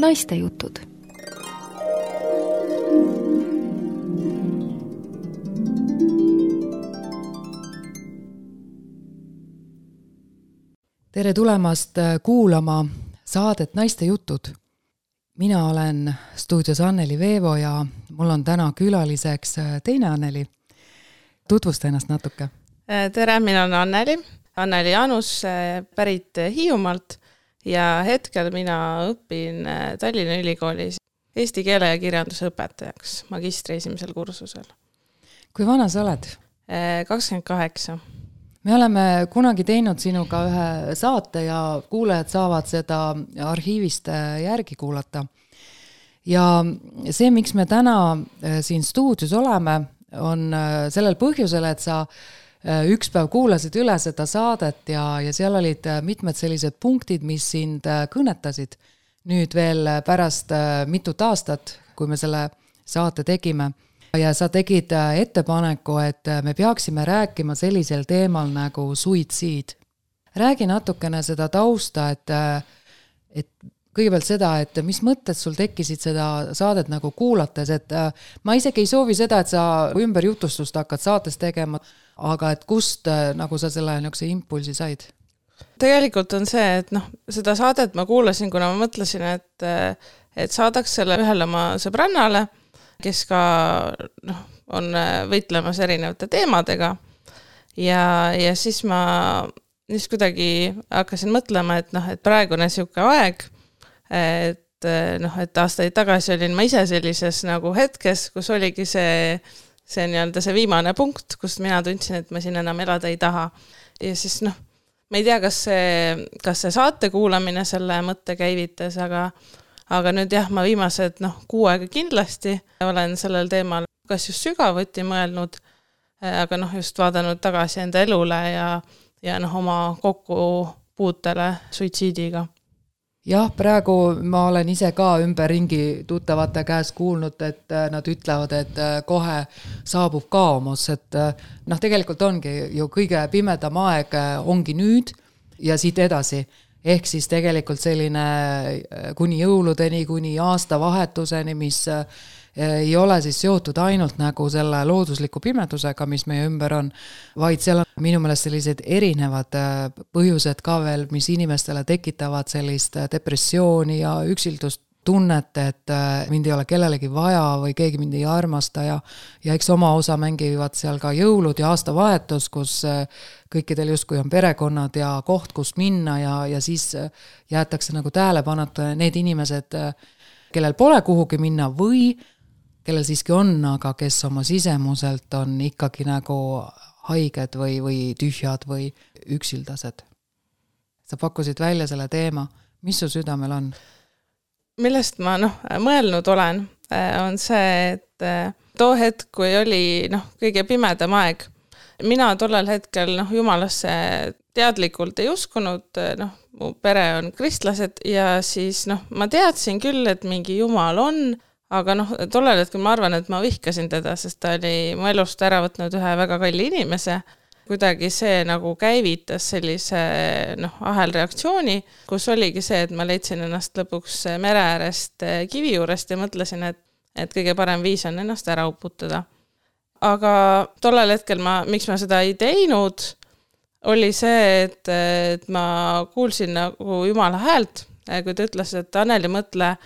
naiste jutud. Tere tulemast kuulama saadet Naiste jutud. Mina olen stuudios Anneli Veevo ja mul on täna külaliseks teine Anneli. Tutvusta ennast natuke. Tere, mina olen Anneli Jaanus, pärit Hiiumaalt ja hetkel mina õpin Tallinna Ülikoolis eesti keele ja kirjanduse õpetajaks magistri esimesel kursusel. Kui vana sa oled? 28. Me oleme kunagi teinud sinuga ühe saate ja kuulajad saavad seda arhiivist järgi kuulata. Ja see, miks me täna siin stuudios oleme, on sellel põhjusel, et sa üks päev kuulasid üle seda saadet ja seal olid mitmed sellised punktid, mis sind kõnetasid. Nüüd veel pärast mitut aastat, kui me selle saate tegime. Ja sa tegid ettepaneku, et me peaksime rääkima sellisel teemal nagu suitsiid. Räägi natukene seda tausta, et kõigepealt seda, et mis mõtted sul tekkisid seda saadet nagu kuulates, et ma isegi ei soovi seda, et sa ümberjutustust hakkad saates tegema, aga et kust nagu sa selle niisuguse impulsi said? Tegelikult on see, et seda saadet ma kuulasin, kuna ma mõtlesin, et saadaks selle ühele oma sõbrannale, kes ka on võitlemas erinevate teemadega. Ja siis ma kuidagi hakkasin mõtlema, et praegune siuke aeg, et aastaid tagasi olin ma ise sellises nagu hetkes, kus oligi see viimane punkt, kus mina tundsin, et ma siin enam elada ei taha. Ja siis ma ei tea, kas see saate kuulamine selle mõtte käivitas, aga nüüd jah, ma viimased 6 aega kindlasti olen sellel teemal kas just sügavuti mõelnud, aga just vaadanud tagasi enda elule ja oma kokkupuutele suitsiidiga. Jah, praegu ma olen ise ka ümberringi tuttavate käes kuulnud, et nad ütlevad, et kohe saabub kaomus, et tegelikult ongi ju kõige pimedam aeg ongi nüüd ja siit edasi. Ehk siis tegelikult selline kuni jõuludeni, kuni aastavahetuseni, mis ei ole siis seotud ainult nagu selle loodusliku pimedusega, mis meie ümber on, vaid seal on minu meelest sellised erinevad põhjused ka veel, mis inimestele tekitavad sellist depressiooni ja üksildust tunnet, et mind ei ole kellelegi vaja või keegi mind ei armasta ja eks oma osa mängivad seal ka jõulud ja aastavahetus, kus kõikidel justkui on perekonnad ja koht, kus minna ja siis jäetakse nagu tähelepanuta need inimesed, kellel pole kuhugi minna või kellel siiski on, aga kes oma sisemuselt on ikkagi nagu haiged või tühjad või üksildased. Sa pakkusid välja selle teema. Mis su südamel on? Millest ma mõelnud olen, on see, et too hetk, kui oli kõige pimedam aeg, mina tollel hetkel jumalasse teadlikult ei uskunud, mu pere on kristlased ja siis ma teadsin küll, et mingi jumal on, aga tollel hetkel ma arvan, et ma vihkasin teda, sest ta oli mu elust ära võtnud ühe väga kalli inimese. Kuidagi see nagu käivitas sellise ahelreaktsiooni, kus oligi see, et ma leidsin ennast lõpuks mere äärest kivi juurest ja mõtlesin, et kõige parem viis on ennast ära uputada. Aga tollel hetkel miks ma seda ei teinud, oli see, et ma kuulsin nagu Jumala häält, kui ta ütles, et Anneli, mõtle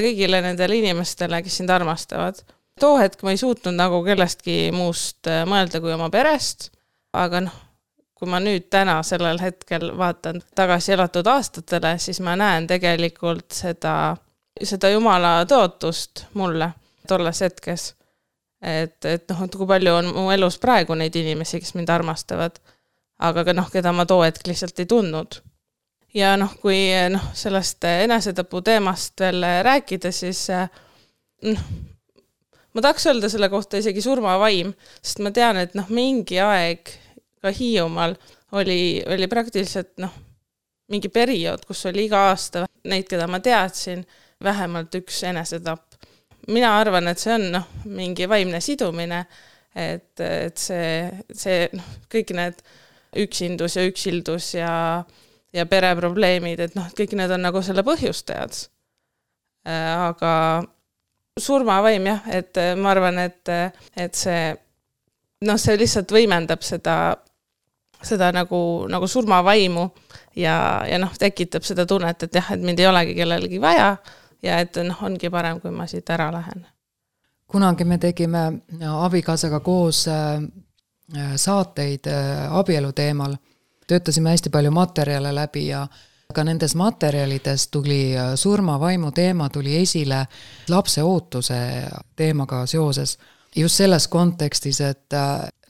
kõigile nendele inimestele, kes sind armastavad. Too hetk ma ei suutnud nagu kellestki muust mõelda kui oma perest, aga kui ma nüüd täna sellel hetkel vaatan tagasi elatud aastatele, siis ma näen tegelikult seda Jumala tõotust mulle tolles hetkes. Et kui palju on mu elus praegu neid inimesi, kes mind armastavad, aga keda ma too hetk lihtsalt ei tundnud. Ja kui sellest enesetapu teemast veel rääkida, siis ma tahaks öelda selle kohta isegi surmavaim, sest ma tean, et mingi aeg ka Hiiumaal oli praktiliselt mingi periood, kus oli iga aasta neid, keda ma teadsin, vähemalt üks enesetapp. Mina arvan, et see on mingi vaimne sidumine, et see kõik need üksindus ja üksildus ja pereprobleemid, et kõik need on nagu selle põhjustajad. aga surmavaim jah, et ma arvan, et see, see lihtsalt võimendab seda nagu surmavaimu ja tekitab seda tunnet, et jah, et mind ei olegi kellelegi vaja ja et ongi parem, kui ma siit ära lähen. Kunagi me tegime abikaasaga koos saateid abielu teemal. Töötasime hästi palju materjale läbi ja ka nendes materjalides tuli surmavaimu teema tuli esile lapse ootuse teemaga seoses. Just selles kontekstis, et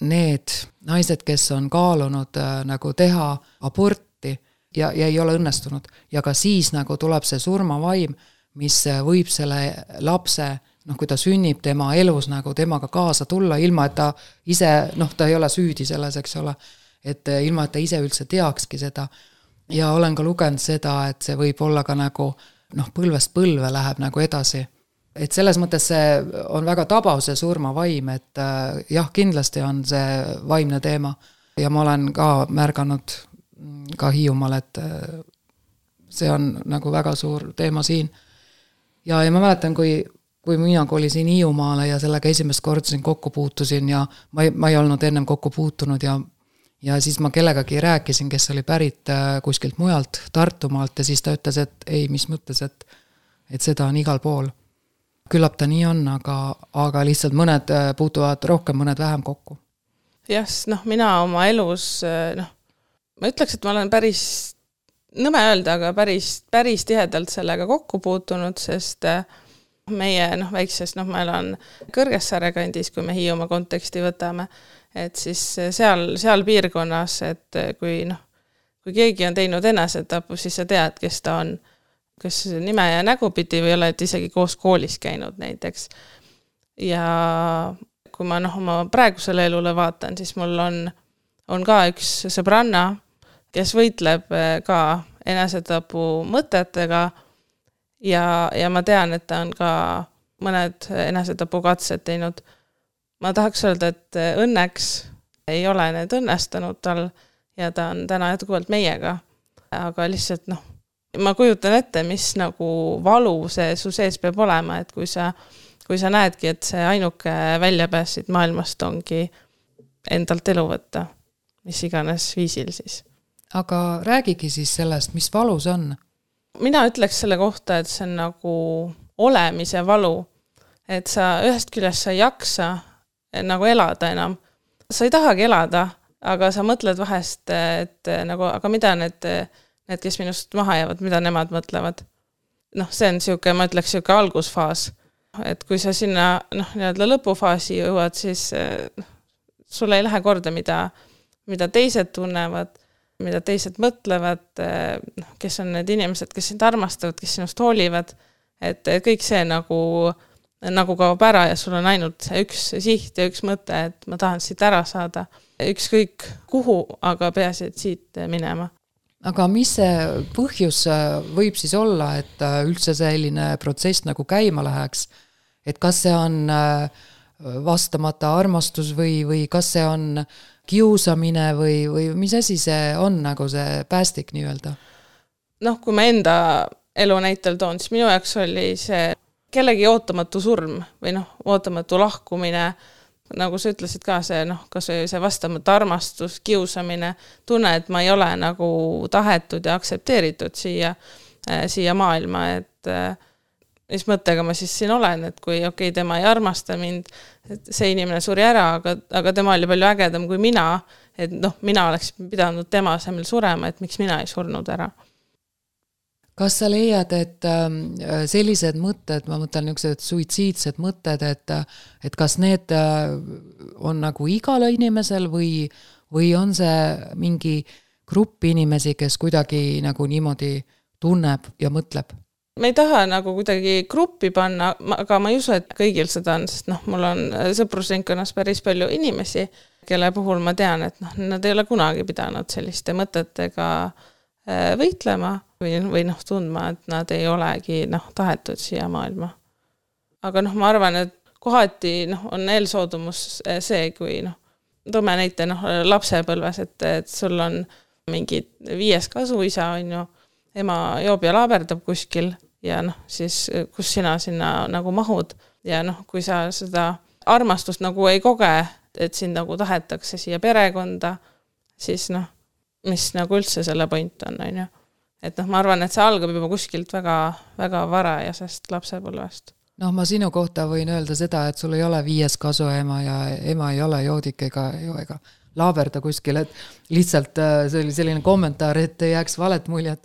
need naised, kes on kaalunud nagu teha aborti ja ei ole õnnestunud ja ka siis nagu tuleb see surmavaim, mis võib selle lapse, kui ta sünnib tema elus nagu temaga kaasa tulla, ilma et ta ise, ta ei ole süüdi selles, eks ole, et ilma et ta ise üldse teakski seda. Ja olen ka lugenud seda, et see võib olla ka nagu põlvest põlve läheb nagu edasi. Et selles mõttes see on väga tabav see surmavaim, et jah, kindlasti on see vaimne teema ja ma olen ka märganud ka Hiiumaal, et see on nagu väga suur teema siin. Ja ma mäletan, kui mina kolisin Hiiumaale ja sellega esimest korda siin kokku puutusin ja ma ei olnud ennem kokku puutunud ja siis ma kellegagi rääkisin, kes oli pärit kuskilt mujalt, Tartumaalt ja siis ta ütles, et ei, mis mõttes, et seda on igal pool. Küllap ta nii on, aga lihtsalt mõned puutuvad rohkem, mõned vähem kokku. Jah, mina oma elus, ma ütleks, et ma olen päris, nõme öelda, aga päris tihedalt sellega kokku puutunud, sest meie väikses, ma elan Kõrgessaare kandis, kui me Hiiumaa konteksti võtame, et siis seal piirkonnas, et kui keegi on teinud enesetapu, siis sa tead, kes ta on, kes nime ja nägupidi või oled isegi koos koolis käinud näiteks. Ja kui ma oma praegusele elule vaatan, siis mul on ka üks sõbranna, kes võitleb ka enesetapu mõtetega ja ma tean, et ta on ka mõned enesetapu katsed teinud. Ma tahaks öelda, et õnneks ei ole need õnnestunud tal ja ta on täna jätkuvalt meiega, aga lihtsalt ma kujutan ette, mis nagu valu see su sees peab olema, et kui sa näedki, et see ainuke väljapääs siit maailmast ongi endalt elu võtta, mis iganes viisil siis. Aga räägigi siis sellest, mis valu see on? Mina ütleks selle kohta, et see on nagu olemise valu, et sa ühest küljest sa ei jaksa nagu elada enam. Sa ei tahagi elada, aga sa mõtled vahest, et nagu, aga mida need, kes minust maha jäävad, mida nemad mõtlevad. See on siuke, ma ütleks siuke algusfaas, et kui sa sinna lõpufaasi jõuad, siis sulle ei lähe korda, mida teised tunnevad, mida teised mõtlevad, kes on need inimesed, kes sind armastavad, kes sinust hoolivad, et kõik see nagu kaob ära ja sul on ainult üks siht ja üks mõte, et ma tahan siit ära saada. Ükskõik kuhu, aga peaasi, et siit minema. Aga mis see põhjus võib siis olla, et üldse selline protsess nagu käima läheks? Et kas see on vastamata armastus või kas see on kiusamine või mis asi see on nagu see päästik nii-öelda? Kui ma enda elu näitel toon, siis minu jaoks oli see kellegi ootamatu surm või ootamatu lahkumine, nagu sa ütlesid ka see, kas see vastamata armastus, kiusamine, tunne, et ma ei ole nagu tahetud ja aktsepteeritud siia maailma, et mis mõttega ma siis siin olen, et kui tema ei armasta mind, et see inimene suri ära, aga tema oli palju ägedam kui mina, et mina oleks pidanud tema asemel surema, et miks mina ei surnud ära. Kas sa leiad, et sellised mõtted, ma mõtlen niisugused suitsiidsed mõtted, et kas need on nagu igale inimesel või on see mingi grupp inimesi, kes kuidagi nagu niimoodi tunneb ja mõtleb? Me ei taha nagu kuidagi gruppi panna, aga ma ei usu, et kõigil seda on, sest mul on sõprusringkonnas päris palju inimesi, kelle puhul ma tean, et nad ei ole kunagi pidanud selliste mõtetega võitlema või tundma, et nad ei olegi tahetud siia maailma. Aga ma arvan, et kohati on eelsoodumus see, kui toome näite lapsepõlves, et sul on mingi 5 kasuisa, on ju, ema joob ja laaberdab kuskil ja noh, siis kus sina sinna nagu mahud ja noh, kui sa seda armastust nagu ei koge, et sind nagu tahetakse siia perekonda, siis noh, mis nagu üldse selle point on ju. Et noh, ma arvan, et see algab juba kuskilt väga, väga varajasest lapsepõlvest. Noh, ma sinu kohta võin öelda seda, et sul ei ole 5 kasuema ja ema ei ole joodik ega laaberda kuskil, et lihtsalt see oli selline kommentaar, et ei jääks valet muljet.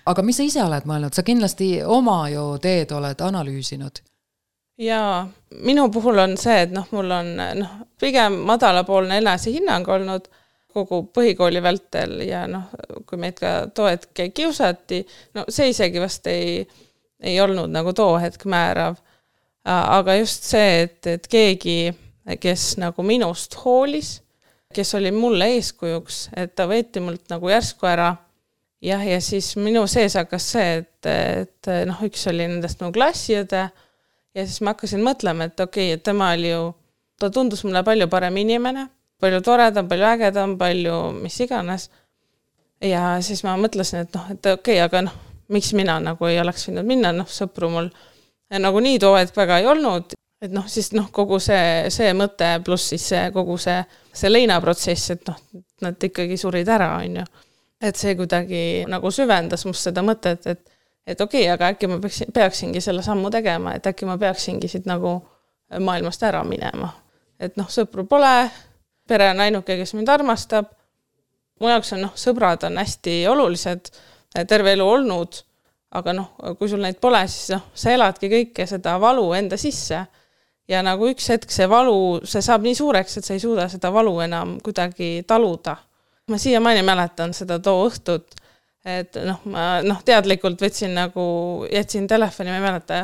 Aga mis sa ise oled mõelnud? Sa kindlasti oma ju teed oled analüüsinud. Jaa, minu puhul on see, et noh, mul on pigem madalapoolne enesehinnang olnud kogu põhikooli vältel ja noh, kui meid ka too hetk kiusati, no see isegi vast ei olnud nagu too hetk määrav. Aga just see, et keegi, kes nagu minust hoolis, kes oli mulle eeskujuks, et ta võeti mult nagu järsku ära. Ja siis minu sees hakkas see, et noh, üks oli nendest mu klassiõde ja siis ma hakkasin mõtlema, et okei, et tema oli ju, ta tundus mulle palju parem inimene, palju toredam, palju ägedam, palju mis iganes. Ja siis ma mõtlesin, et noh, et okei, aga noh, miks mina nagu ei oleks võinud minna, noh, sõpru mul nagu nii too hetk väga ei olnud, et noh, siis noh, kogu see mõte pluss siis kogu see leinaprotsess, et noh, nad ikkagi surid ära, on ju. Et see kuidagi nagu süvendas must seda mõtet, et okei, aga äkki ma peaksingi selle sammu tegema, et äkki ma peaksingi siit nagu maailmast ära minema. Et noh, sõpru pole, pere on ainuke, kes mind armastab. Mu jaoks on sõbrad on hästi olulised, terve elu olnud, aga noh, kui sul neid pole, siis noh, sa eladki kõike seda valu enda sisse ja nagu üks hetk see valu, see saab nii suureks, et sa ei suuda seda valu enam kuidagi taluda. Ma siiamaani mäletan seda too õhtut, et noh, ma teadlikult võtsin nagu, jätsin telefoni, ma ei mäleta,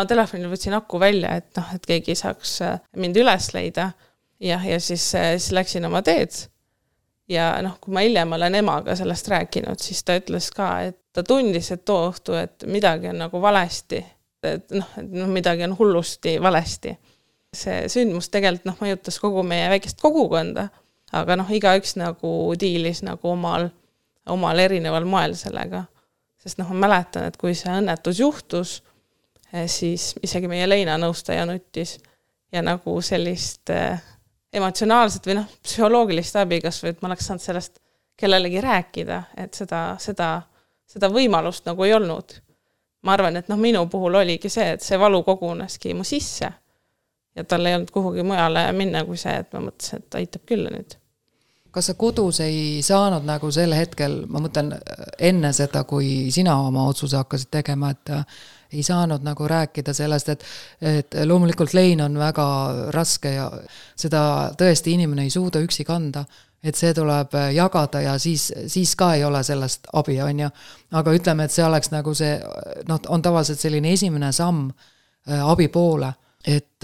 telefonil võtsin aku välja, et noh, et keegi saaks mind üles leida ja siis läksin oma teed. Ja noh, kui ma hiljem olen emaga sellest rääkinud, siis ta ütles ka, et ta tundis, et too õhtu, et midagi on nagu valesti, et midagi on hullusti valesti. See sündmus tegelikult mõjutas kogu meie väikest kogukonda, aga noh, igaüks nagu diilis nagu omal erineval moel sellega. Sest noh, ma mäletan, et kui see õnnetus juhtus, siis isegi meie leinanõustaja nuttis ja nagu sellist emotsionaalset või psühholoogilist abi, kas või, et ma oleks saanud sellest kellelegi rääkida, et seda võimalust nagu ei olnud. Ma arvan, et minu puhul oligi see, et see valu koguneski mu sisse ja tal ei olnud kuhugi mujale minna kui see, et ma mõtlesin, et aitab küll nüüd. Kas sa kodus ei saanud nagu sel hetkel, ma mõtlen enne seda, kui sina oma otsuse hakkasid tegema, et ei saanud nagu rääkida sellest, et loomulikult lein on väga raske ja seda tõesti inimene ei suuda üksi kanda, et see tuleb jagada ja siis ka ei ole sellest abi, on ju. Aga ütleme, et see oleks nagu see, on tavaliselt selline esimene samm abi poole, et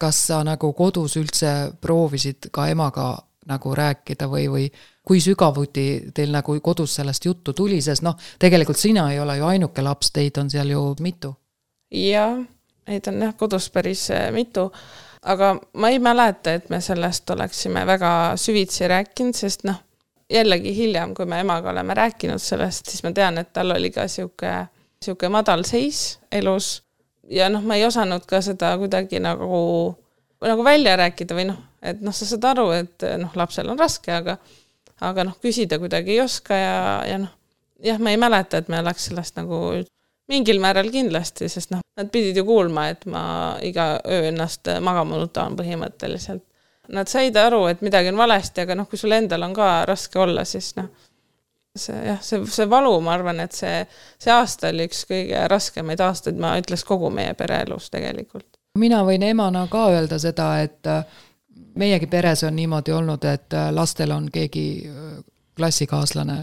kas sa nagu kodus üldse proovisid ka emaga nagu rääkida või kui sügavuti teil nagu kodus sellest juttu tuli, sest tegelikult sina ei ole ju ainuke laps, teid on seal ju mitu. Jah, neid on kodus päris mitu, aga ma ei mäleta, et me sellest oleksime väga süvitsi rääkinud, sest jällegi hiljem, kui me emaga oleme rääkinud sellest, siis ma tean, et tal oli ka siuke madal seis elus ja ma ei osanud ka seda kuidagi nagu välja rääkida või et sa saad aru, et lapsel on raske, aga küsida kuidagi ei oska ja ma ei mäleta, et me oleks sellest nagu mingil määral kindlasti, sest nad pidid ju kuulma, et ma iga öö ennast magama nutan põhimõtteliselt. Nad said aru, et midagi on valesti, aga kui sul endal on ka raske olla, siis see valu, ma arvan, et see aasta oli üks kõige raskemaid aastaid, ma ütleks kogu meie pereelus tegelikult. Mina võin emana ka öelda seda, et meiegi peres on niimoodi olnud, et lastel on keegi klassikaaslane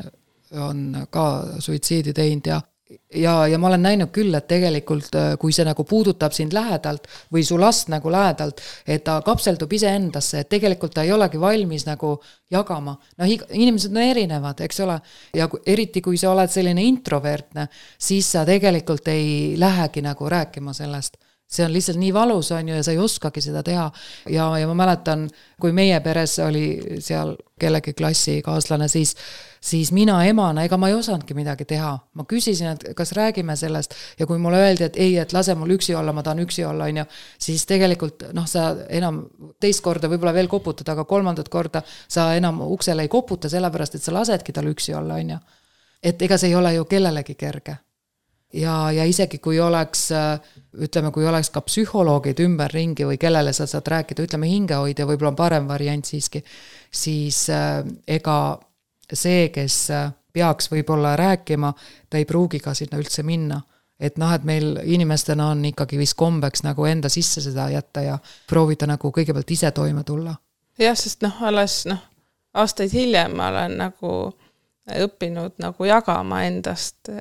on ka suitsiidi teinud ja ma olen näinud küll, et tegelikult kui see nagu puudutab sind lähedalt või su last nagu lähedalt, et ta kapseldub ise endasse, et tegelikult ta ei olegi valmis nagu jagama. Inimesed on erinevad, eks ole, ja eriti kui sa oled selline introvertne, siis sa tegelikult ei lähegi nagu rääkima sellest. see on lihtsalt nii valus, on ju, ja sa ei oskagi seda teha. Ja ma mäletan, kui meie peres oli seal kellegi klassikaaslane, siis mina emana, ega ma ei osanudki midagi teha. Ma küsisin, et kas räägime sellest ja kui mulle öeldi, et ei, et lase mul üksi olla, ma tahan üksi olla, on ju, siis tegelikult sa enam teist korda võib-olla veel koputad, aga kolmandat korda sa enam uksele ei koputa, sellepärast, et sa lasedki tal üksi olla, on ju. Et ega see ei ole ju kellelegi kerge. Ja isegi kui oleks, ütleme, kui oleks ka psühholoogid ümber ringi või kellele sa saad rääkida, ütleme hingehoidja, võib-olla on parem variant siiski, siis ega see, kes peaks võib-olla rääkima, ta ei pruugi ka sinna üldse minna. Et et meil inimestena on ikkagi vist kombeks nagu enda sisse seda jätta ja proovida nagu kõigepealt ise toime tulla. Jah, sest alles aastaid hiljem ma olen nagu õppinud nagu jagama endast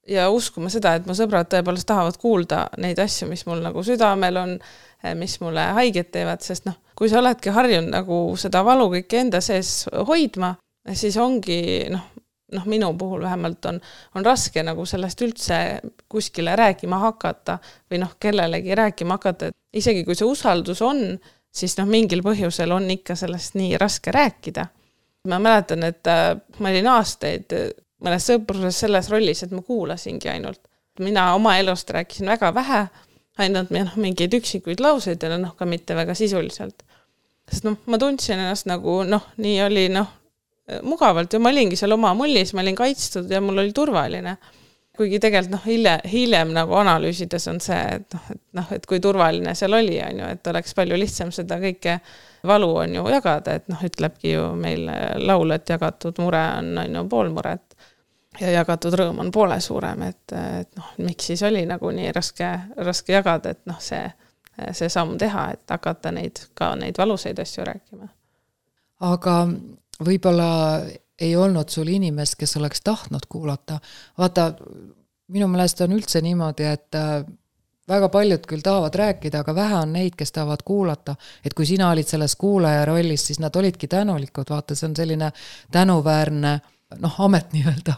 ja uskuma seda, et mu sõbrad tõepoolest tahavad kuulda neid asju, mis mul nagu südamel on, mis mulle haiget teevad, sest kui sa oledki harjunud nagu seda valu kõike enda sees hoidma, siis ongi, minu puhul vähemalt on raske nagu sellest üldse kuskile rääkima hakata või kellelegi rääkima hakata, et isegi kui see usaldus on, siis mingil põhjusel on ikka sellest nii raske rääkida. Ma mäletan, et ma olin aastaid mõnes sõpruses selles rollis, et ma kuulasingi ainult. Mina oma elust rääkisin väga vähe, ainult mingeid üksikuid lauseid ja ka mitte väga sisuliselt. Sest ma tundsin ennast nagu, nii oli mugavalt ja ma olingi seal oma mullis, ma olin kaitstud ja mul oli turvaline. Kuigi tegelikult hiljem nagu analüüsides on see, et kui turvaline seal oli, on ju, et oleks palju lihtsam seda kõike valu on ju jagada, et ütlebki ju meil laul, et jagatud mure on ju pool muret ja jagatud rõõm on poole suurem, et miks siis oli nagu nii raske jagada, et see samm teha, et hakata neid valuseid asju rääkima. Aga võib-olla ei olnud sul inimest, kes oleks tahtnud kuulata. Vaata, minu meelest on üldse niimoodi, et väga paljud küll tahavad rääkida, aga vähe on neid, kes tahavad kuulata. Et kui sina olid selles kuulaja rollis, siis nad olidki tänulikud. Vaata, see on selline tänuväärne amet nii-öelda.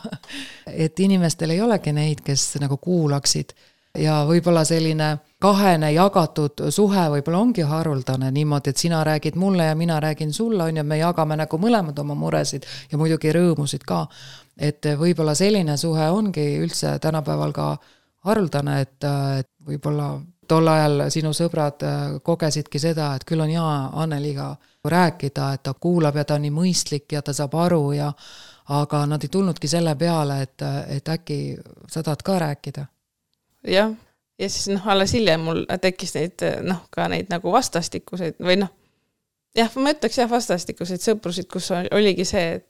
Et inimestel ei olegi neid, kes nagu kuulaksid. Ja võib-olla selline kahene jagatud suhe võib-olla ongi haruldane niimoodi, et sina räägid mulle ja mina räägin sulle, on ja me jagame nagu mõlemad oma muresid ja muidugi rõõmusid ka. Et võib-olla selline suhe ongi üldse tänapäeval ka haruldane, et võib-olla tol ajal sinu sõbrad kogesidki seda, et küll on Anneliga rääkida, et ta kuulab ja ta on nii mõistlik ja ta saab aru aga nad ei tulnudki selle peale, et äkki sa tahad ka rääkida. Jah, ja siis alles hiljem mul tekkis neid, ka neid nagu vastastikuseid või ma ütleks vastastikuseid sõprusid, kus oligi see,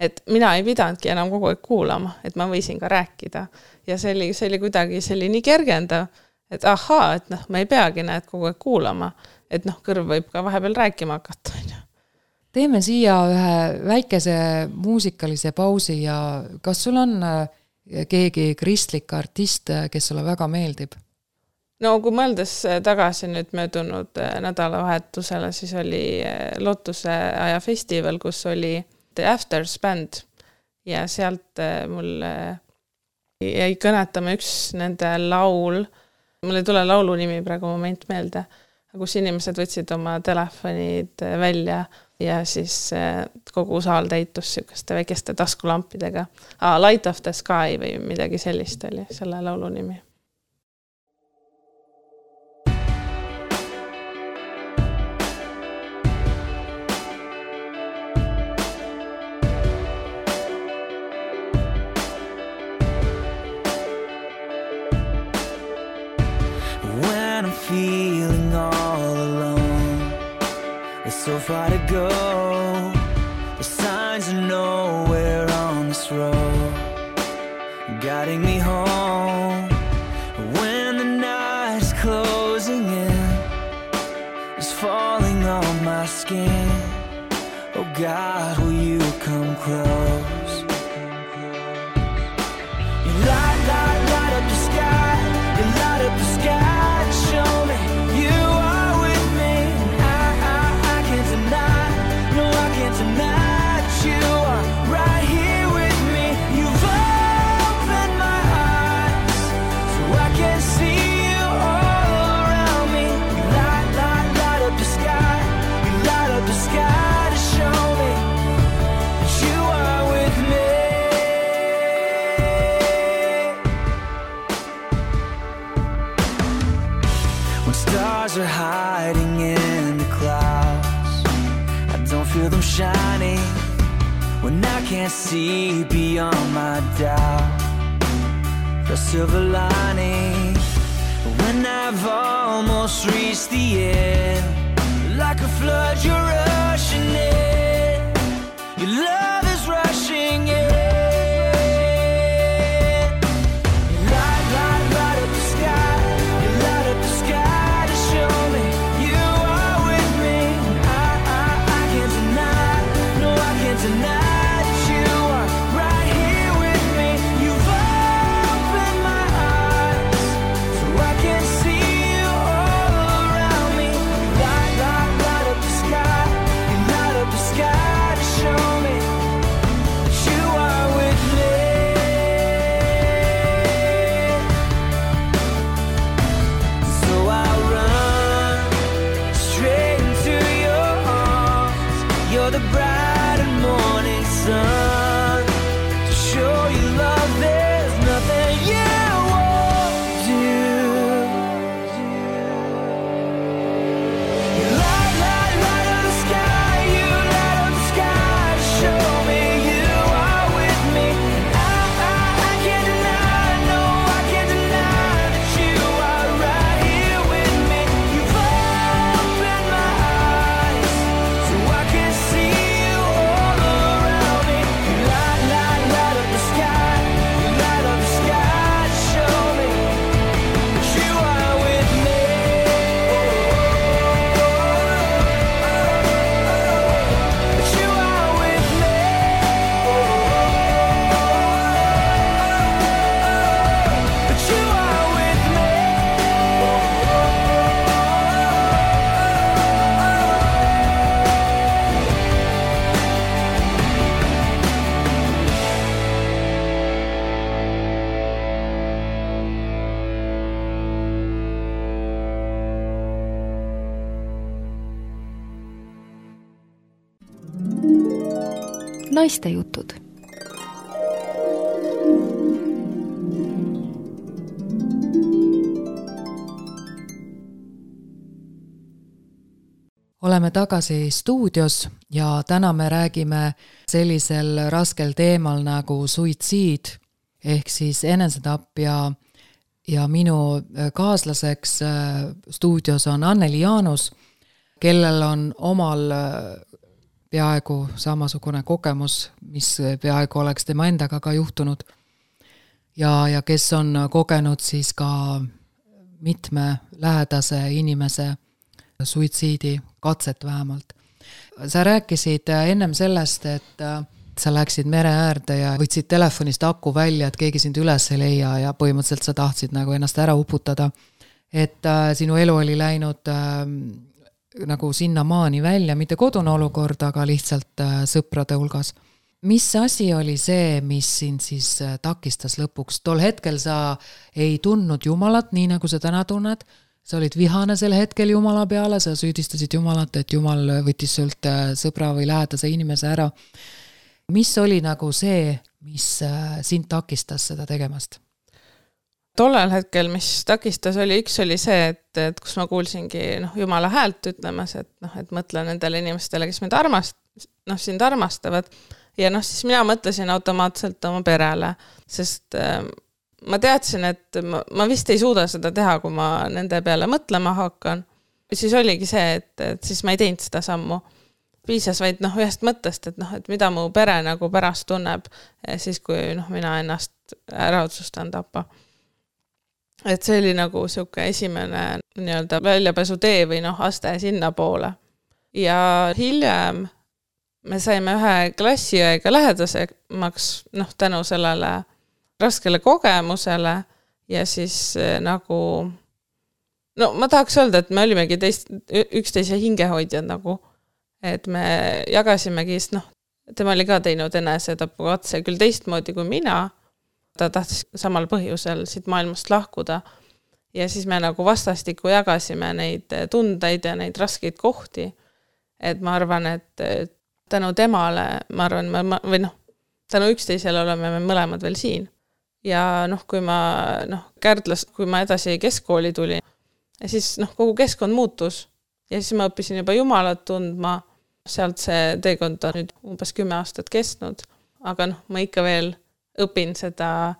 et mina ei pidanudki enam kogu aeg kuulama, et ma võisin ka rääkida ja see oli kuidagi nii kergendav, et et ma ei peagi kogu aeg kuulama, et kõrv võib ka vahepeal rääkima hakata. Teeme siia ühe väikese muusikalise pausi ja kas sul on keegi kristlik artist, kes sulle väga meeldib? No kui mõeldes tagasi nüüd möödunud nädalavahetusele, siis oli Lootuse aja festival, kus oli The Afters band ja sealt mul jäi kõnetama üks nende laul, mul ei tule laulu nimi praegu moment meelde, kus inimesed võtsid oma telefonid välja ja siis kogu saal täitus sükeste väikeste taskulampidega. Light of the Sky või midagi sellist oli selle laulu nimi. When I'm feeling all alone, it's so far to go. The signs are nowhere on this road, guiding me home. When the night's closing in, it's falling on my skin. Oh God, will you come close? You light up the sky. You light up the sky. Show me you are with me. I can't deny. No, I can't deny that you are right here with me. You've opened my eyes so I can see you all when stars are hiding in the clouds. I don't feel them shining when I can't see beyond my doubt. The silver lining when I've almost reached the end. Like a flood you're rushing in, your love is rushing in. Naistejutud. Oleme tagasi stuudios ja täna me räägime sellisel raskel teemal nagu suitsiid ehk siis enesetapp ja minu kaaslaseks stuudios on Anneli Jaanus, kellel on omal peaaegu samasugune kogemus, mis peaaegu oleks tema endaga ka juhtunud ja kes on kogenud siis ka mitme lähedase inimese suitsiidi katset vähemalt. Sa rääkisid ennem sellest, et sa läksid mere äärde ja võtsid telefonist aku välja, et keegi sind üles ei leia ja põhimõtteliselt sa tahtsid nagu ennast ära uputada. Et sinu elu oli läinud nagu sinna maani välja, mitte kodune olukord, aga lihtsalt sõprade hulgas. Mis asi oli see, mis sind siis takistas lõpuks? Tol hetkel sa ei tundnud Jumalat, nii nagu sa täna tunned. Sa olid vihane sel hetkel Jumala peale, sa süüdistasid Jumalat, et Jumal võttis sult sõbra või lähedase inimese ära. Mis oli nagu see, mis sind takistas seda tegemast? Tollel hetkel, mis takistas, üks oli see, et kus ma kuulsingi Jumala häält ütlemas, et mõtle nendele inimestele, kes mind sind armastavad. Ja siis mina mõtlesin automaatselt oma perele, sest ma teadsin, et ma vist ei suuda seda teha, kui ma nende peale mõtlema hakkan. Siis oligi see, et siis ma ei teinud seda sammu. Piisas vaid ühest mõttest, et mida mu pere nagu pärast tunneb, siis kui mina ennast ära otsustan tappa. Et see oli nagu siuke esimene nii-öelda väljapääsu tee või aste sinna poole. Ja hiljem me saime ühe klassiõega lähedasemaks tänu sellele raskele kogemusele ja siis nagu ma tahaks öelda, et me olimegi üksteise hingehoidjad nagu, et me jagasimegi, tema oli ka teinud enesetapukatse küll teistmoodi kui mina, ta tahtis samal põhjusel siit maailmast lahkuda ja siis me nagu vastastikku jagasime neid tundeid ja neid raskeid kohti, et ma arvan, et tänu temale, ma arvan, või tänu üksteisele oleme me mõlemad veel siin. Ja kui ma Kärdlas, kui ma edasi keskkooli tulin, ja siis noh, kogu keskkond muutus ja siis ma õppisin juba Jumalat tundma, sealt see teekond on nüüd umbes 10 aastat kestnud, aga noh, ma ikka veel õpin seda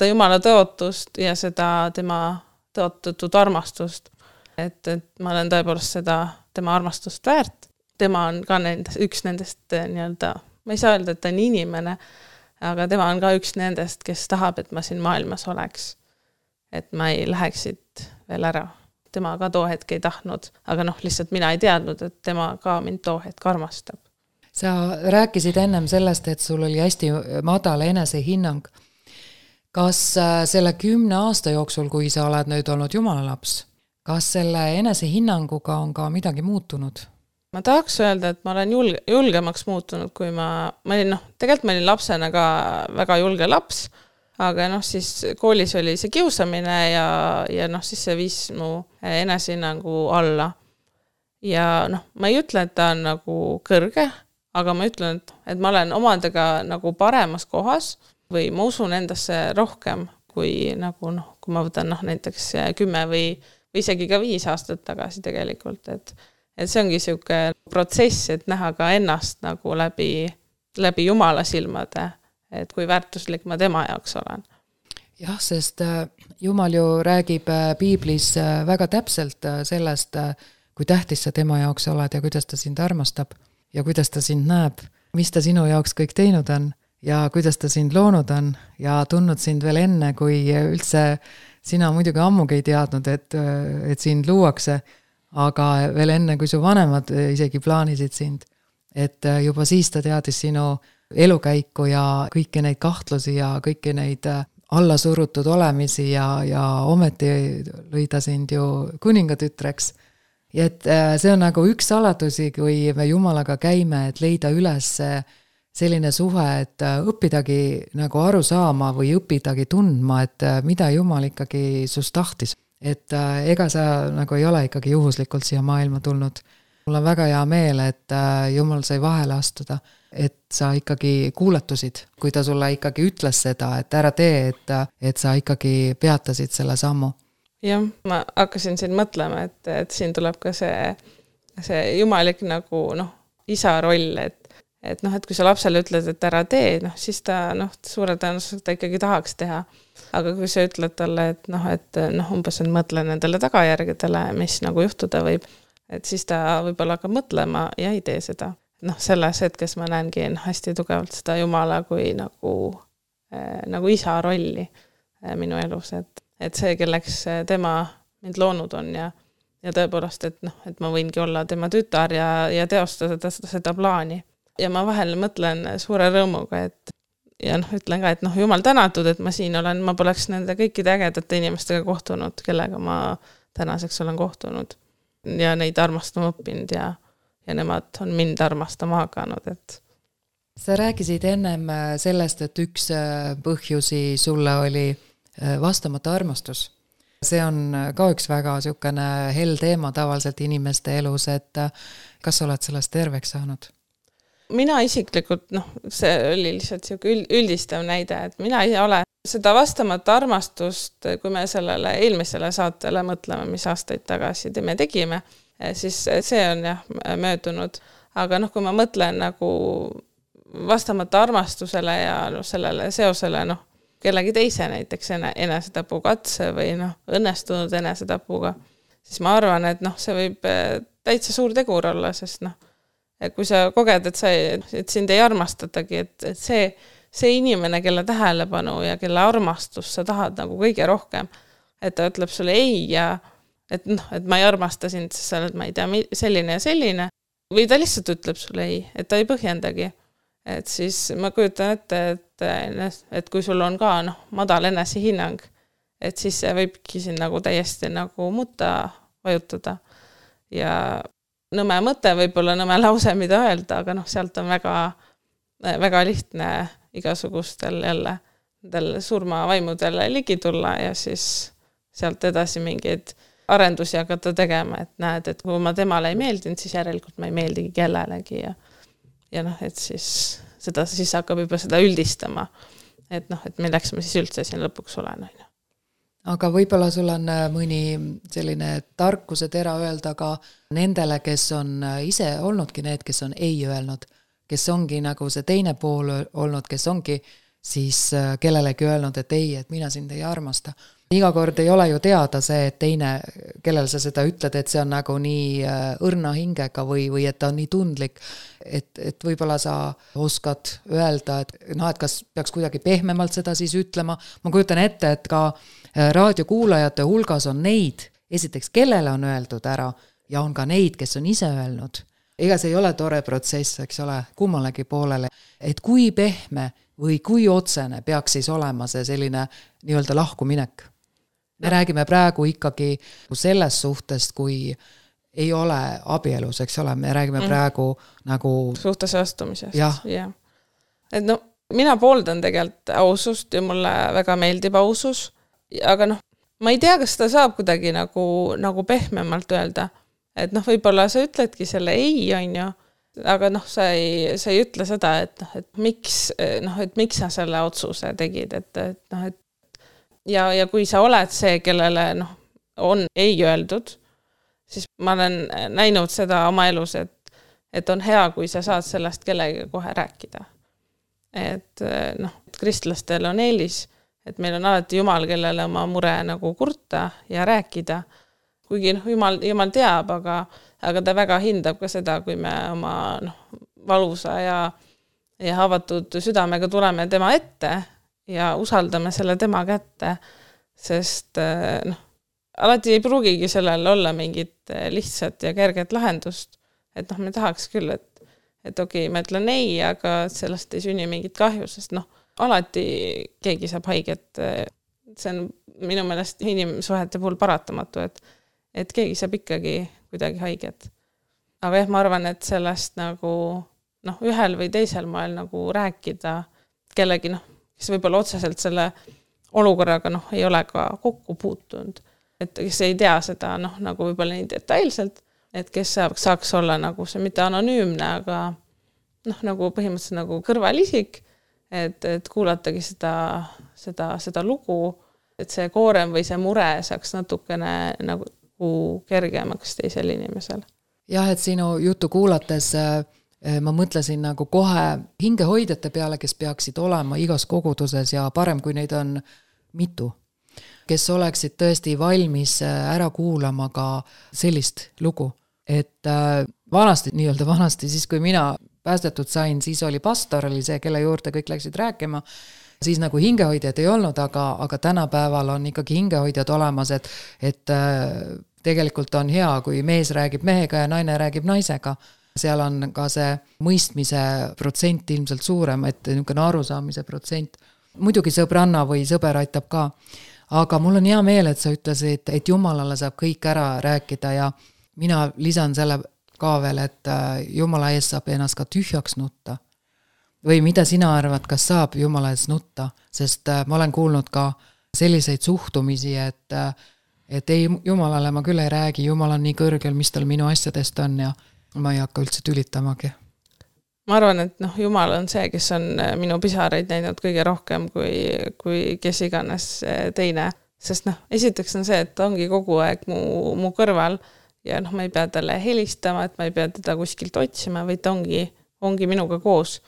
Jumala tõotust ja seda tema tõotatud armastust, et ma olen tõepoolest seda tema armastust väärt. Tema on ka üks nendest nii-öelda, ma ei saa öelda, et ta on inimene, aga tema on ka üks nendest, kes tahab, et ma siin maailmas oleks. Et ma ei läheks siit veel ära. Tema ka too hetk ei tahtnud, aga noh, lihtsalt mina ei teadnud, et tema ka mind too hetk armastab. Sa rääkisid ennem sellest, et sul oli hästi madal enesehinnang. Kas selle 10 aasta jooksul, kui sa oled nüüd olnud Jumala laps, kas selle enesehinnanguga on ka midagi muutunud? Ma tahaks öelda, et ma olen julgemaks muutunud, kui ma olin, noh, tegelikult ma olin lapsena ka väga julge laps, aga noh, siis koolis oli see kiusamine ja noh, siis see viis mu enesehinnangu alla. Ja noh, ma ei ütle, et ta on nagu kõrge, aga ma ütlen, et ma olen omadega nagu paremas kohas või ma usun endasse rohkem kui nagu noh, kui ma võtan noh, näiteks 10 või isegi ka 5 aastat tagasi tegelikult, et see ongi siuke protsess, et näha ka ennast nagu läbi Jumala silmade, et kui väärtuslik ma tema jaoks olen. Jah, sest Jumal ju räägib Piiblis väga täpselt sellest, kui tähtis sa tema jaoks oled ja kuidas ta sind armastab ja kuidas ta sind näeb, mis ta sinu jaoks kõik teinud on ja kuidas ta sind loonud on ja tundnud sind veel enne, kui üldse sina muidugi ammugi ei teadnud, et sind luuakse, aga veel enne, kui su vanemad isegi plaanisid sind, et juba siis ta teadis sinu elukäiku ja kõiki neid kahtlusi ja kõiki neid allasurutud olemisi ja ometi lõi ta sind ju kuningatütreks. Ja et see on nagu üks saladusi, kui me Jumalaga käime, et leida üles selline suhe, et õppidagi nagu aru saama või õppidagi tundma, et mida Jumal ikkagi sust tahtis. Et ega sa nagu ei ole ikkagi juhuslikult siia maailma tulnud. Mul on väga hea meel, et Jumal sai vahele astuda, et sa ikkagi kuulatusid, kui ta sulle ikkagi ütles seda, et ära tee, et sa ikkagi peatasid selle sammu. Jah, ma hakkasin siin mõtlema, et siin tuleb ka see jumalik nagu noh, isa roll, et noh, et kui sa lapsele ütled, et ära tee, noh, siis ta noh, suure tõenäoliselt ta ikkagi tahaks teha. Aga kui sa ütled talle, et umbes on mõtle nendele tagajärgedele, mis nagu juhtuda võib, et siis ta võib-olla hakkab mõtlema ja ei tee seda. Noh, selles hetkes ma näengi hästi tugevalt seda Jumala kui nagu isa rolli minu elus, et see, kelleks tema mind loonud on ja tõepoolest, et ma võingi olla tema tütar ja teostada seda plaani. Ja ma vahel mõtlen suure rõõmuga, ja ütlen ka, et Jumal tänatud, et ma siin olen, ma poleks nende kõikide ägedate inimestega kohtunud, kellega ma tänaseks olen kohtunud ja neid armastama õppinud ja nemad on mind armastama hakanud, et Sa rääkisid ennem sellest, et üks põhjusi sulle oli vastamata armastus. See on ka üks väga niisugune hell teema tavaliselt inimeste elus, et kas sa oled sellest terveks saanud? Mina isiklikult, see oli lihtsalt üldistav näide, et mina ei ole seda vastamata armastust, kui me sellele eelmisele saatele mõtleme, mis aastaid tagasi me tegime, siis see on möödunud. Aga kui ma mõtlen nagu vastamata armastusele ja sellele seosele, kellegi teise näiteks enesetapu katse või õnnestunud enesetapuga, siis ma arvan, et see võib täitsa suur tegur olla, sest kui sa koged, et sind ei armastatagi, et see inimene, kelle tähelepanu ja kelle armastus sa tahad nagu kõige rohkem, et ta ütleb sulle ei ja et ma ei armasta sind, sest sa oled, ma ei tea, selline ja selline, või ta lihtsalt ütleb sulle ei, et ta ei põhjendagi. Et siis ma kujutan ette, et kui sul on ka madal enesehinnang, et siis see võibki siin nagu täiesti nagu mutta vajutada ja nõme mõte, võib-olla nõme lause, mida öelda, aga sealt on väga, väga lihtne igasugustel jälle surmavaimudel ligi tulla ja siis sealt edasi mingeid arendusi hakata tegema, et näed, et kui ma temale ei meeldinud, siis järelikult ma ei meeldigi kellelegi ja et siis seda siis hakkab juba seda üldistama, et milleks ma siis üldse siin lõpuks olen. aga võib-olla sul on mõni selline tarkuse tera öelda ka nendele, kes on ise olnudki need, kes on ei öelnud, kes ongi nagu see teine pool olnud, kes ongi siis kellelegi öelnud, et ei, et mina sind ei armasta. Iga kord ei ole ju teada see, et teine, kellel sa seda ütled, et see on nagu nii õrna hingega või et ta on nii tundlik, et võib-olla sa oskad öelda, et kas peaks kuidagi pehmemalt seda siis ütlema. Ma kujutan ette, et ka raadiokuulajate hulgas on neid, esiteks, kellele on öeldud ära ja on ka neid, kes on ise öelnud. Ega see ei ole tore protsess, eks ole, kummalegi poolele, et kui pehme või kui otsene peaks siis olema see selline nii-öelda lahkuminek. Me räägime praegu ikkagi sellest suhtest, kui ei ole abielus, eks ole, me räägime praegu nagu suhtesse astumisest. Jah. Et no, mina pooldan tegelikult ausust ja mulle väga meeldib ausus, aga noh, ma ei tea, kas seda saab kuidagi nagu pehmemalt öelda, et noh, võib-olla sa ütledki selle ei, on ju, aga noh, sa ei ütle seda, et miks sa selle otsuse tegid, et ja kui sa oled see, kellele noh, on ei öeldud, siis ma olen näinud seda oma elus, et on hea, kui sa saad sellest kellegi kohe rääkida. Et noh, kristlastel on eelis, et meil on alati Jumal, kellele oma mure nagu kurta ja rääkida, kuigi noh, Jumal teab, aga ta väga hindab ka seda, kui me oma valusa ja avatud südamega tuleme tema ette ja usaldame selle tema kätte, sest alati ei pruugigi sellel olla mingit lihtsat ja kerget lahendust, et noh, me tahaks küll, et okei, ma ütlen ei, aga sellest ei sünni mingit kahju, sest noh, alati keegi saab haiget, see on minu meelest inimsuhete puhul paratamatu, et keegi saab ikkagi kuidagi haiget. Aga jah, ma arvan, et sellest nagu noh, ühel või teisel moel nagu rääkida kellegi noh, kes võib-olla otseselt selle olukorraga noh, ei ole ka kokku puutunud, et kes ei tea seda noh, nagu võib-olla nii detailselt, et kes saaks olla nagu see mitte anonüümne, aga noh, nagu põhimõtteliselt nagu kõrvalisik, et kuulatagi seda lugu, et see koorem või see mure saaks natukene nagu kergemaks teisel inimesel. Jah, et sinu jutu kuulates ma mõtlesin nagu kohe hingehoidjate peale, kes peaksid olema igas koguduses ja parem, kui neid on mitu, kes oleksid tõesti valmis ära kuulama ka sellist lugu. Et vanasti, siis kui mina päästetud sain, siis oli pastor, oli see, kelle juurde kõik läksid rääkima, siis nagu hingehoidjad ei olnud, aga tänapäeval on ikkagi hingehoidjad olemas, et tegelikult on hea, kui mees räägib mehega ja naine räägib naisega. Seal on ka see mõistmise protsent ilmselt suurem, et niisugune arusaamise protsent. Muidugi sõbranna või sõber aitab ka, aga mul on hea meel, et sa ütlesid, et Jumalale saab kõik ära rääkida ja mina lisan selle ka veel, et Jumala ees saab ennast ka tühjaks nutta. Või mida sina arvad, kas saab Jumala ees nutta, sest ma olen kuulnud ka selliseid suhtumisi, et ei, Jumalale ma küll ei räägi, Jumal on nii kõrgel, mis tal minu asjadest on ja ma ei hakka üldse tülitamagi. Ma arvan, et noh, Jumal on see, kes on minu pisaraid näinud kõige rohkem kui kes iganes teine. Sest noh, esiteks on see, et ta ongi kogu aeg mu kõrval ja noh, ma ei pea talle helistama, et ma ei pea teda kuskilt otsima, vaid ta ongi minuga koos.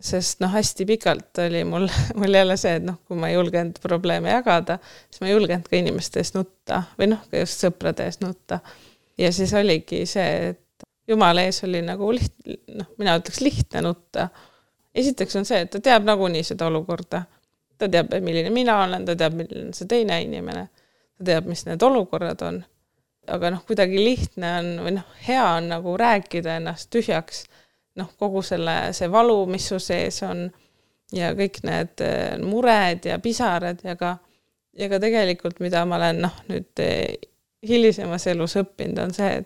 Sest noh, hästi pikalt oli mul jälle see, et noh, kui ma ei julgenud probleeme jagada, siis ma ei julgenud ka inimeste eest nutta või noh, ka just sõprade eest nutta. Ja siis oligi see, et Jumala ees oli nagu mina ütleks lihtne nutta. Esiteks on see, et ta teab nagunii seda olukorda. Ta teab, milline mina olen, ta teab, milline see teine inimene. Ta teab, mis need olukorrad on. Aga noh, kuidagi lihtne on või noh, hea on nagu rääkida ennast tühjaks. Noh, kogu see valu, mis su sees on ja kõik need mured ja pisarad ja ka tegelikult, mida ma olen noh, nüüd hilisemas elus õppinud, on see,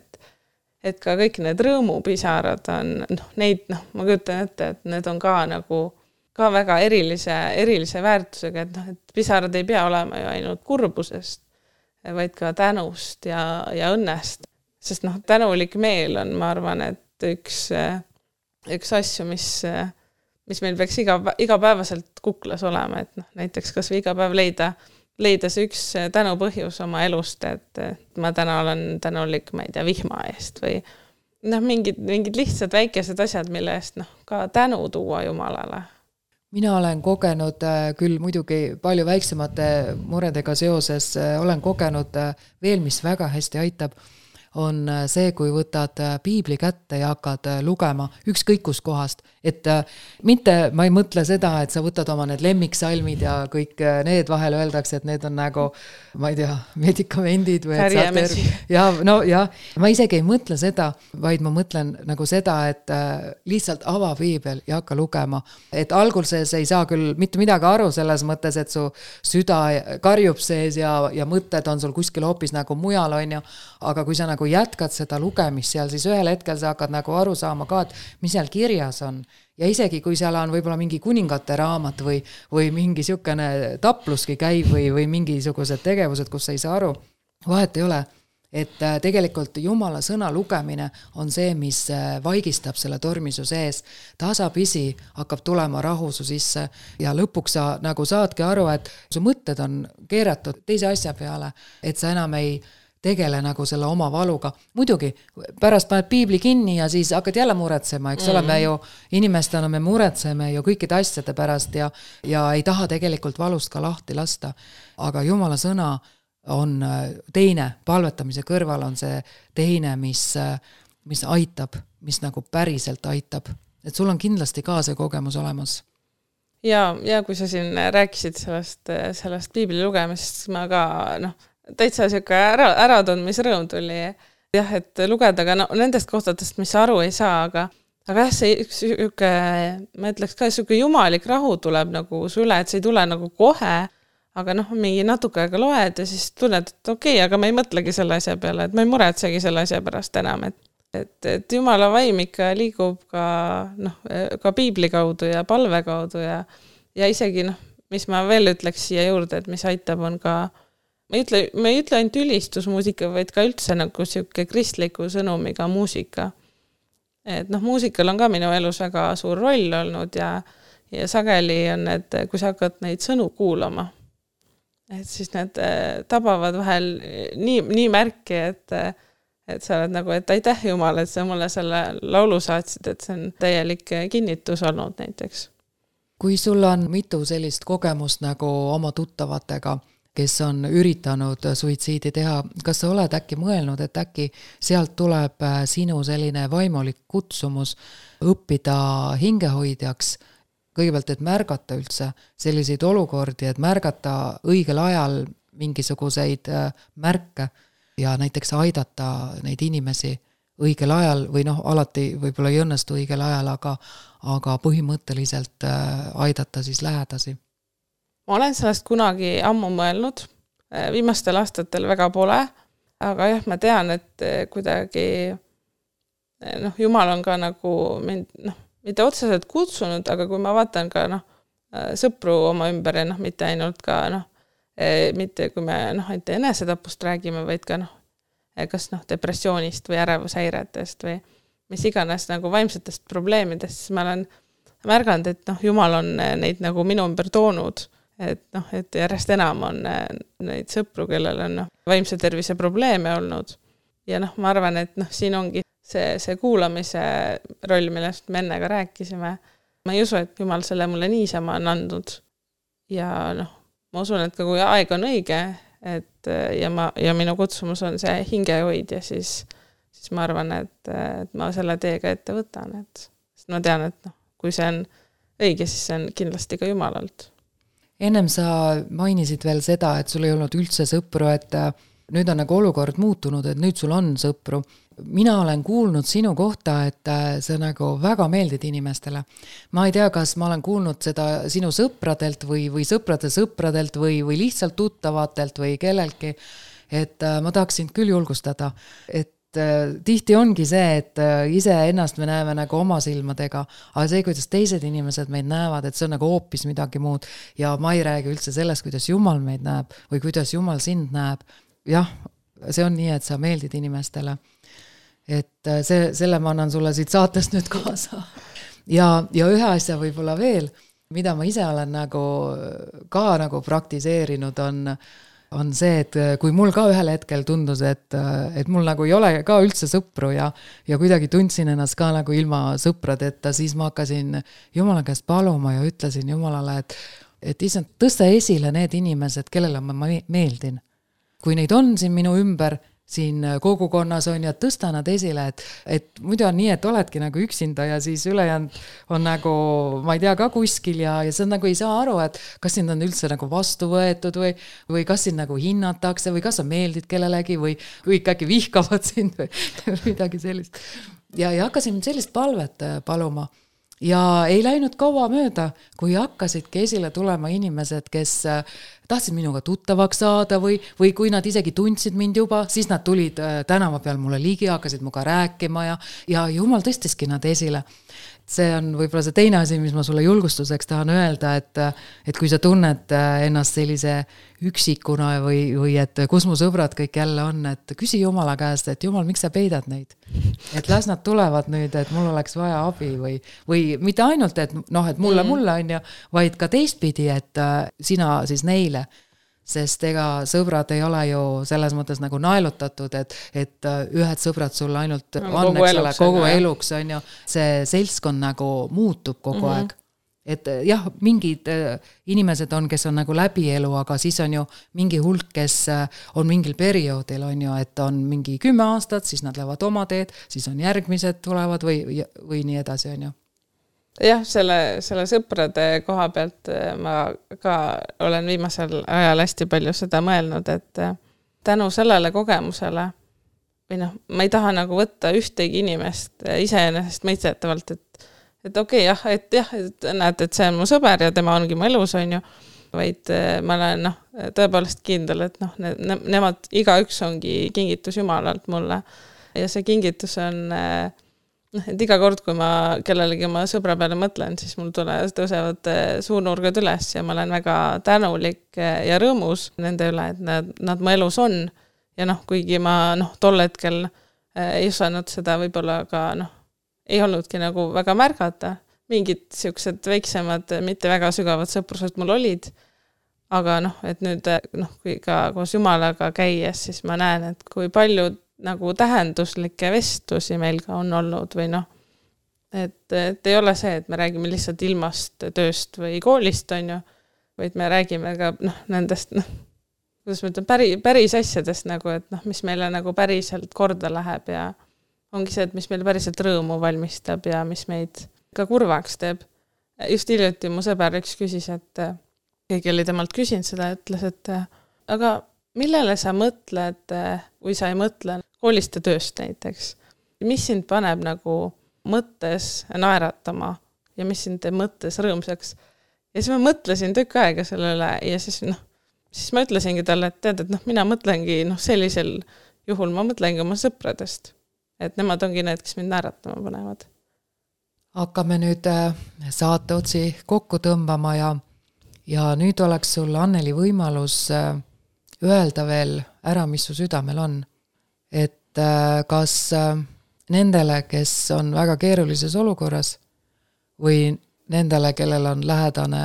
et ka kõik need rõõmupisarad on, noh, neid, noh, ma kujutan ette, et need on ka nagu ka väga erilise väärtusega, et noh, et pisarad ei pea olema ju ainult kurbusest, vaid ka tänust ja õnnest. Sest noh, tänulik meel on, ma arvan, et üks asju, mis meil peaks igapäevaselt kuklas olema, et noh, näiteks kas või iga päev leida leida see üks tänupõhjus oma elust, et ma täna olen tänulik, ma ei tea, vihma eest või mingid lihtsad väikesed asjad, mille eest ka tänu tuua Jumalale. Mina olen kogenud küll muidugi palju väiksemate muredega seoses, olen kogenud veel, mis väga hästi aitab, on see, kui võtad piibli kätte ja hakkad lugema ükskõik kus kohast. Et mitte, ma ei mõtle seda, et sa võtad oma need lemmiksalmid ja kõik need vahel öeldakse, et need on nagu, ma ei tea, medikamendid või ma isegi ei mõtle seda, vaid ma mõtlen nagu seda, et lihtsalt ava piibel ja hakka lugema. Et alguses ei saa küll mitte midagi aru selles mõttes, et su süda karjub sees ja mõtted on sul kuskil hoopis nagu mujal on ju, aga kui sa nagu jätkad seda lugemist seal, siis ühel hetkel sa hakkad nagu aru saama ka, et mis seal kirjas on. Ja isegi kui seal on võib-olla mingi kuningate raamat või mingi siukene tapluski käib või mingisugused tegevused, kus sa ei saa aru, vahet ei ole, et tegelikult Jumala sõna lugemine on see, mis vaigistab selle tormisu sees. Tasapisi hakkab tulema rahu su sisse ja lõpuks sa nagu saadki aru, et su mõtted on keeratud teise asja peale, et sa enam ei tegele nagu selle oma valuga. Muidugi, pärast paned piibli kinni ja siis hakkad jälle muretsema, eks ole, me ju inimestena me muretseme ju kõikide asjade pärast ja ei taha tegelikult valust ka lahti lasta. Aga Jumala sõna on teine, palvetamise kõrval on see teine, mis aitab, mis nagu päriselt aitab. Et sul on kindlasti ka see kogemus olemas. Ja kui sa siin rääkisid sellest piibli lugemisest, ma ka täitsa siuke äratundmisrõõm tuli. Jah, et lugeda ka nendest kohtadest, mis aru ei saa, aga jah, see ma ütleks ka, siuke jumalik rahu tuleb nagu su üle, et see ei tule nagu kohe, aga mingi natuke aega loed ja siis tunned, et okei, aga ma ei mõtlegi selle asja peale, et ma ei muretsegi selle asja pärast enam, et Jumala vaim ikka liigub ka piibli kaudu ja palve kaudu ja isegi mis ma veel ütleks siia juurde, et mis aitab on ka ma ei ütle ainult ülistusmuusika, vaid ka üldse nagu siuke kristliku sõnumiga muusika. Et muusikal on ka minu elus väga suur roll olnud ja sageli on need, kui sa hakkad neid sõnu kuulama, et siis need tabavad vahel nii märki, et sa oled nagu, et aitäh Jumal, et sa mulle selle laulu saatsid, et see on täielik kinnitus olnud näiteks. Kui sul on mitu sellist kogemust nagu oma tuttavatega, kes on üritanud suitsiidi teha, kas sa oled äkki mõelnud, et äkki sealt tuleb sinu selline vaimulik kutsumus õppida hingehoidjaks, kõigepealt, et märgata üldse selliseid olukordi, et märgata õigel ajal mingisuguseid märke ja näiteks aidata neid inimesi õigel ajal või alati võib-olla ei õnnestu õigel ajal, aga põhimõtteliselt aidata siis lähedasi. Ma olen sellest kunagi ammu mõelnud, viimastel aastatel väga pole, aga jah, ma tean, et kuidagi Jumal on ka nagu mind, mitte otseselt kutsunud, aga kui ma vaatan ka sõpru oma ümber ja mitte ainult ka mitte kui me ainult enesetapust räägime, vaid ka kas depressioonist või ärevushäiretest või mis iganes nagu vaimsetest probleemidest, siis ma olen märganud, et Jumal on neid nagu minu ümber toonud. Et järjest enam on neid sõpru, kellel on vaimse tervise probleeme olnud. Ja ma arvan, et siin ongi see kuulamise roll, millest me enne ka rääkisime. Ma ei usu, et Jumal selle mulle niisama on andnud. Ja ma usun, et ka kui aeg on õige, ja minu kutsumus on see hingehoidja, siis ma arvan, et ma selle teega ette võtan. Sest ma tean, et kui see on õige, siis see on kindlasti ka Jumalalt. Ennem sa mainisid veel seda, et sul ei olnud üldse sõpru, et nüüd on nagu olukord muutunud, et nüüd sul on sõpru. Mina olen kuulnud sinu kohta, et sa nagu väga meeldid inimestele. Ma ei tea, kas ma olen kuulnud seda sinu sõpradelt või sõprade sõpradelt või lihtsalt tuttavatelt või kellelgi, et ma tahaksin küll julgustada, et tihti ongi see, et ise ennast me näeme nagu oma silmadega, aga see, kuidas teised inimesed meid näevad, et see on nagu hoopis midagi muud ja ma ei räägi üldse sellest, kuidas Jumal meid näeb või kuidas Jumal sind näeb. Jah, see on nii, et sa meeldid inimestele. Et selle ma annan sulle siit saatest nüüd kaasa. Ja ühe asja võib-olla veel, mida ma ise olen nagu ka nagu praktiseerinud, on see, et kui mul ka ühel hetkel tundus, et mul nagu ei ole ka üldse sõpru ja kuidagi tundsin ennast ka nagu ilma sõpradeta, siis ma hakkasin Jumala käest paluma ja ütlesin Jumalale, et issand, tõsta esile need inimesed, kellele ma meeldin. Kui neid on siin minu ümber, siin kogukonnas on ja tõsta nad esile, et muidu on nii, et oledki nagu üksinda ja siis ülejäänud on nagu, ma ei tea, ka kuskil ja sa nagu ei saa aru, et kas sind on üldse nagu vastu võetud või kas sind nagu hinnatakse või kas sa meeldid kellelegi või kõik äkki vihkavad sind või midagi sellist. Ja hakkasin sellist palvet paluma. Ja ei läinud kaua mööda, kui hakkasidki esile tulema inimesed, kes tahtsid minuga tuttavaks saada või kui nad isegi tundsid mind juba, siis nad tulid tänava peal mulle ligi, hakkasid muga rääkima ja Jumal tõstiski nad esile. See on võib-olla see teine asi, mis ma sulle julgustuseks tahan öelda, et kui sa tunned ennast sellise üksikuna või et kus mu sõbrad kõik jälle on, et küsi Jumala käest, et Jumal, miks sa peidad neid? Et las nad tulevad nüüd, et mul oleks vaja abi või mitte ainult, et mulle on ja, vaid ka teistpidi, et sina siis neile. Sest ega sõbrad ei ole ju selles mõttes nagu naelutatud, et ühed sõbrad sulle ainult on, kogu eluks on ju, see seltskond nagu muutub kogu aeg. Et jah, mingid inimesed on, kes on nagu läbi elu, aga siis on ju mingi hulk, kes on mingil perioodil on ju, et on mingi 10 aastat, siis nad lähevad oma teed, siis on järgmised tulevad või nii edasi on ju. Jah, selle sõprade koha pealt ma ka olen viimasel ajal hästi palju seda mõelnud, et tänu sellele kogemusele või ma ei taha nagu võtta ühtegi inimest iseenesest mõistetavalt, et okei, et näed, et see on mu sõber ja tema ongi mu elus, on ju, vaid ma olen tõepoolest kindel, et nemad igaüks ongi kingitus Jumalalt mulle ja see kingitus on et iga kord, kui ma kellelegi oma sõbra peale mõtlen, siis mul tõusevad suunurgad üles ja ma olen väga tänulik ja rõõmus nende üle, et nad mu elus on. Ja kuigi ma tol hetkel ei osanud seda võib-olla ka ei olnudki nagu väga märgata. Mingid siuksed väiksemad, mitte väga sügavad sõprused mul olid. Aga et nüüd kui ka koos Jumalaga käies, siis ma näen, et kui palju nagu tähenduslikke vestlusi meil ka on olnud või et ei ole see, et me räägime lihtsalt ilmast, tööst või koolist on ju, vaid me räägime ka nendest, kuidas ma ütlen, päris asjadest nagu, et mis meile nagu päriselt korda läheb ja ongi see, et mis meil päriselt rõõmu valmistab ja mis meid ka kurvaks teeb. Just hiljuti mu sõber üks küsis, et keegi oli temalt küsinud seda, ütles, et aga millele sa mõtled, kui sa ei mõtle koolist ja tööst näiteks? Mis sind paneb nagu mõttes naeratama ja mis sind mõttes rõõmsaks? Ja siis ma mõtlesin tükk aega sellele ja siis ma ütlesingi talle, et tead, et mina mõtlengi sellisel juhul ma mõtlengi oma sõpradest. Et nemad ongi need, kes mind naeratama panevad. Hakkame nüüd saate otsi kokku tõmbama ja nüüd oleks sul, Anneli, võimalus öelda veel ära, mis su südamel on. Et kas nendele, kes on väga keerulises olukorras või nendele, kellel on lähedane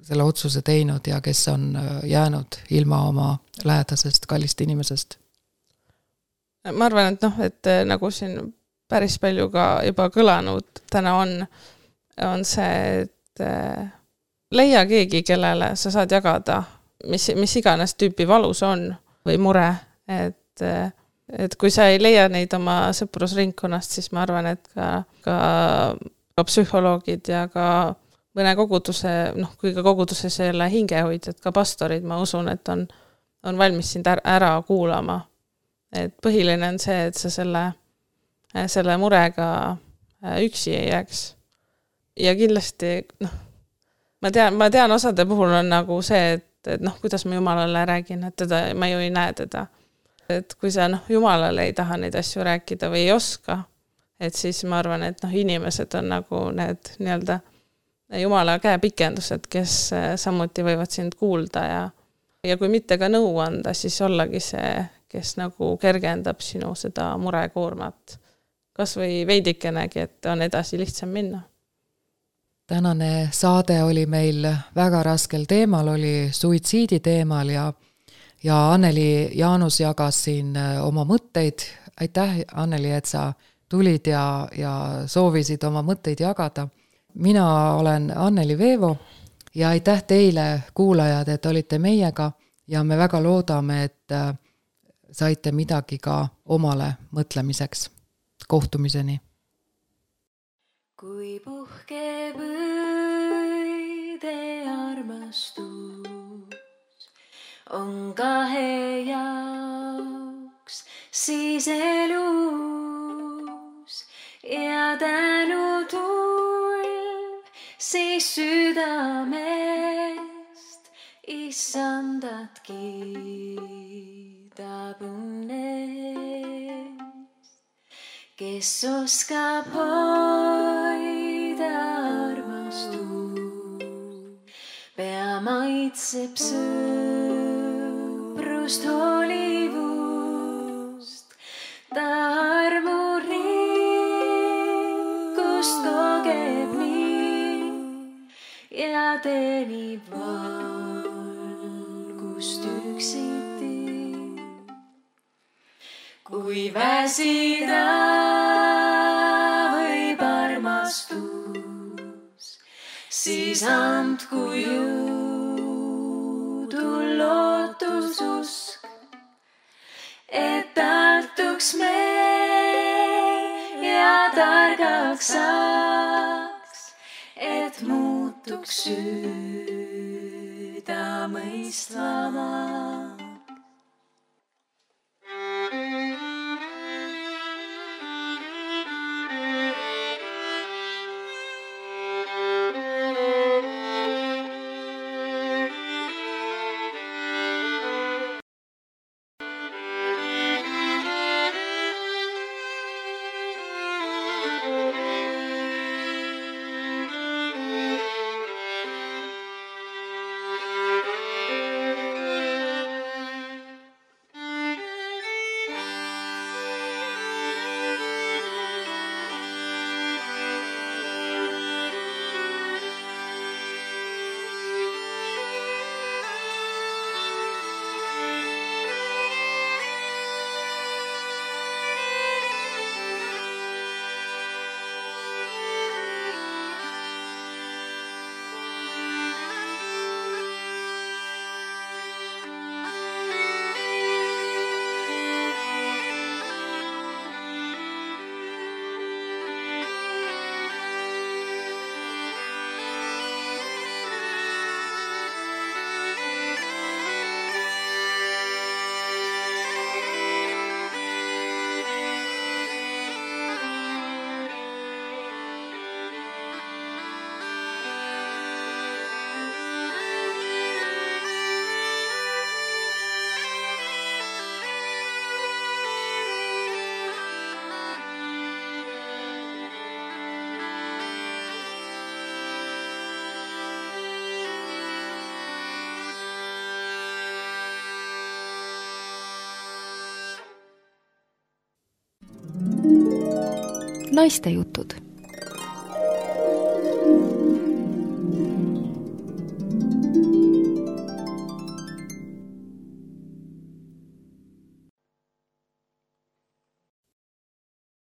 selle otsuse teinud ja kes on jäänud ilma oma lähedasest kallist inimesest? Ma arvan, et nagu siin päris palju ka juba kõlanud täna on see, et leia keegi, kellele sa saad jagada mis iganes tüüpi valus on või mure, et kui sa ei leia neid oma sõprusringkonnast, siis ma arvan, et ka psühholoogid ja ka mõne koguduse, kui ka koguduses ei ole hingehoidjad, ka pastorid, ma usun, et on valmis sind ära kuulama. Et põhiline on see, et sa selle murega üksi ei jääks. Ja kindlasti, ma tean osade puhul on nagu see, et kuidas ma Jumalale räägin, et ma ju ei näe teda. Et kui sa Jumalale ei taha neid asju rääkida või ei oska, et siis ma arvan, et inimesed on nagu need nii-öelda Jumala käepikendused, kes samuti võivad sind kuulda ja kui mitte ka nõu anda, siis ollagi see, kes nagu kergendab sinu seda murekoormat. Kas või veidikenegi, et on edasi lihtsam minna. tänane saade oli meil väga raskel teemal, oli suitsiidi teemal ja Anneli Jaanus jagas siin oma mõtteid. Aitäh, Anneli, et sa tulid ja soovisid oma mõtteid jagada. Mina olen Anneli Veevo ja aitäh teile, kuulajad, et olite meiega ja me väga loodame, et saite midagi ka omale mõtlemiseks. Kohtumiseni. Kui puhkeb õide armastus on kahe jaoks siis elus ja tänutulv siis südamest issandat kiidab õnnest, kes oskab hoida armastust, pea maitseb sõprust hoolivust, ta armurikkust kogeb nii ja teenib valgust üksiti. Kui väsida võib armastus, siis andku jõudu lootususk, et tartuks me ja targaks saaks, et muutuks südamõistvamaks. Naistejutud.